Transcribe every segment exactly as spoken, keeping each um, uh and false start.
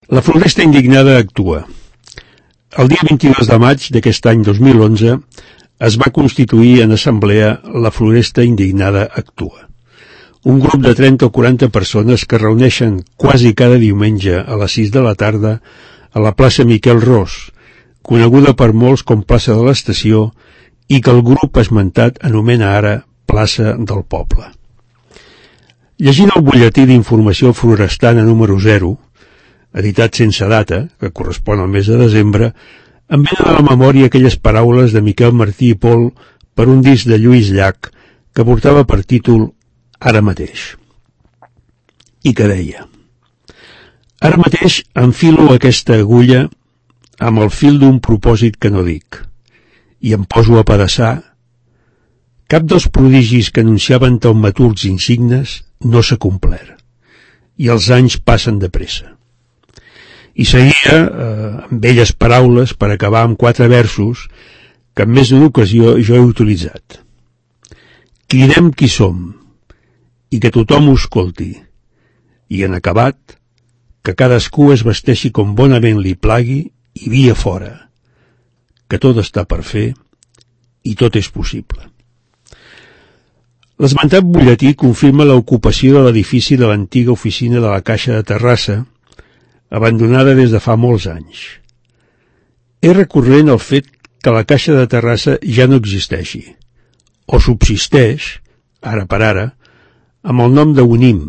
La Floresta Indignada actua. El dia vint-i-dos de maig d'aquest any dos mil onze es va constituir en assemblea La Floresta Indignada actua. Un grup de trenta o quaranta persones que reuneixen quasi cada diumenge a les sis de la tarda a la plaça Miquel Ros, coneguda per molts com plaça de l'Estació i que el grup esmentat anomena ara plaça del Poble. Llegint el butlletí d'informació florestana número zero, editat sense data, que correspon al mes de desembre, em venen a la memòria aquelles paraules de Miquel Martí i Pol per un disc de Lluís Llach que portava per títol Ara mateix, i que deia: ara mateix enfilo aquesta agulla amb el fil d'un propòsit que no dic, i em poso a pedaçar. Cap dels prodigis que anunciaven taumaturgs insignes no s'ha complert, i els anys passen de pressa. I seguia eh, amb belles paraules per acabar amb quatre versos que en més d'una ocasió jo he utilitzat. Cridem qui som, i que tothom ho escolti, i en acabat, que cadascú es vesteixi com bonament li plagui i via fora, que tot està per fer i tot és possible. L'esmentat butlletí confirma l'ocupació de l'edifici de l'antiga oficina de la Caixa de Terrassa, abandonada des de fa molts anys. És recurrent el fet que la Caixa de Terrassa ja no existeixi, o subsisteix, ara per ara, amb el nom de UNIM,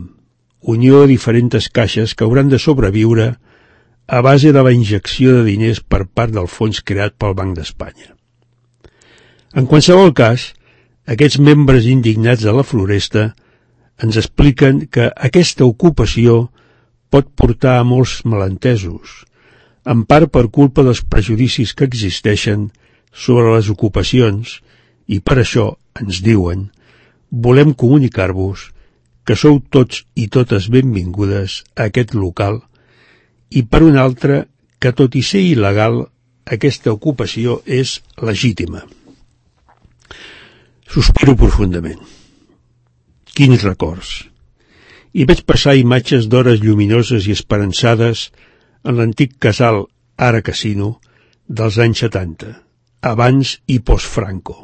Unió de Diferents Caixes que hauran de sobreviure a base de la injecció de diners per part del fons creat pel Banc d'Espanya. En qualsevol cas, aquests membres indignats de la Floresta ens expliquen que aquesta ocupació pot portar a molts malentesos, en part per culpa dels prejudicis que existeixen sobre les ocupacions, i per això ens diuen: volem comunicar-vos que sou tots i totes benvingudes a aquest local, i per un altre, que tot i ser il·legal, aquesta ocupació és legítima. Sospiro profundament. Quins records! I veig passar imatges d'hores lluminoses i esperançades en l'antic casal, ara casino, dels anys setanta, abans i post-Franco.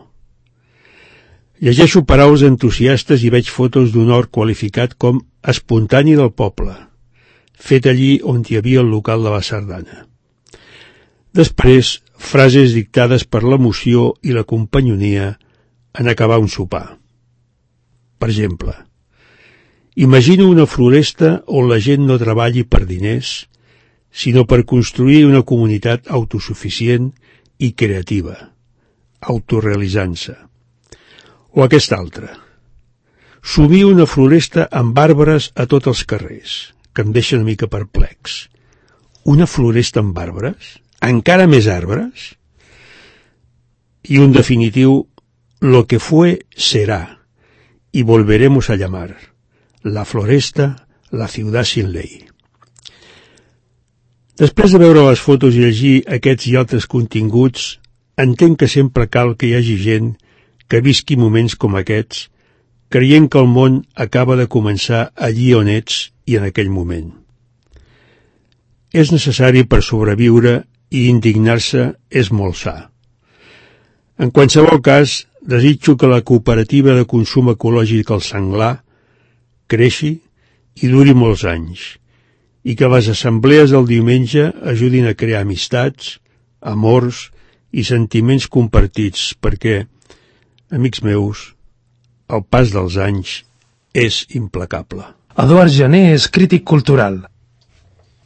Llegeixo paraules entusiastes i veig fotos d'un hort qualificat com espontani del poble, fet allí on hi havia el local de la sardana. Després, frases dictades per l'emoció i la companyonia en acabar un sopar. Per exemple, imagino una floresta on la gent no treballi per diners, sinó per construir una comunitat autosuficient i creativa, autorealitzant-se. O aquesta altra. Subir una floresta amb arbres a tots els carrers, que em deixa una mica perplex. Una floresta amb arbres? Encara més arbres? I un definitiu: lo que fue será, y volveremos a llamar la Floresta la ciudad sin ley. Després de veure les fotos i llegir aquests i altres continguts, entenc que sempre cal que hi hagi gent que visqui moments com aquests, creient que el món acaba de començar allí on ets i en aquell moment. És necessari per sobreviure i indignar-se és molt sa. En qualsevol cas, desitjo que la cooperativa de consum ecològic El Senglar creixi i duri molts anys, i que les assemblees del diumenge ajudin a crear amistats, amors i sentiments compartits, perquè, amics meus, el pas dels anys és implacable. Eduard Jané és crític cultural.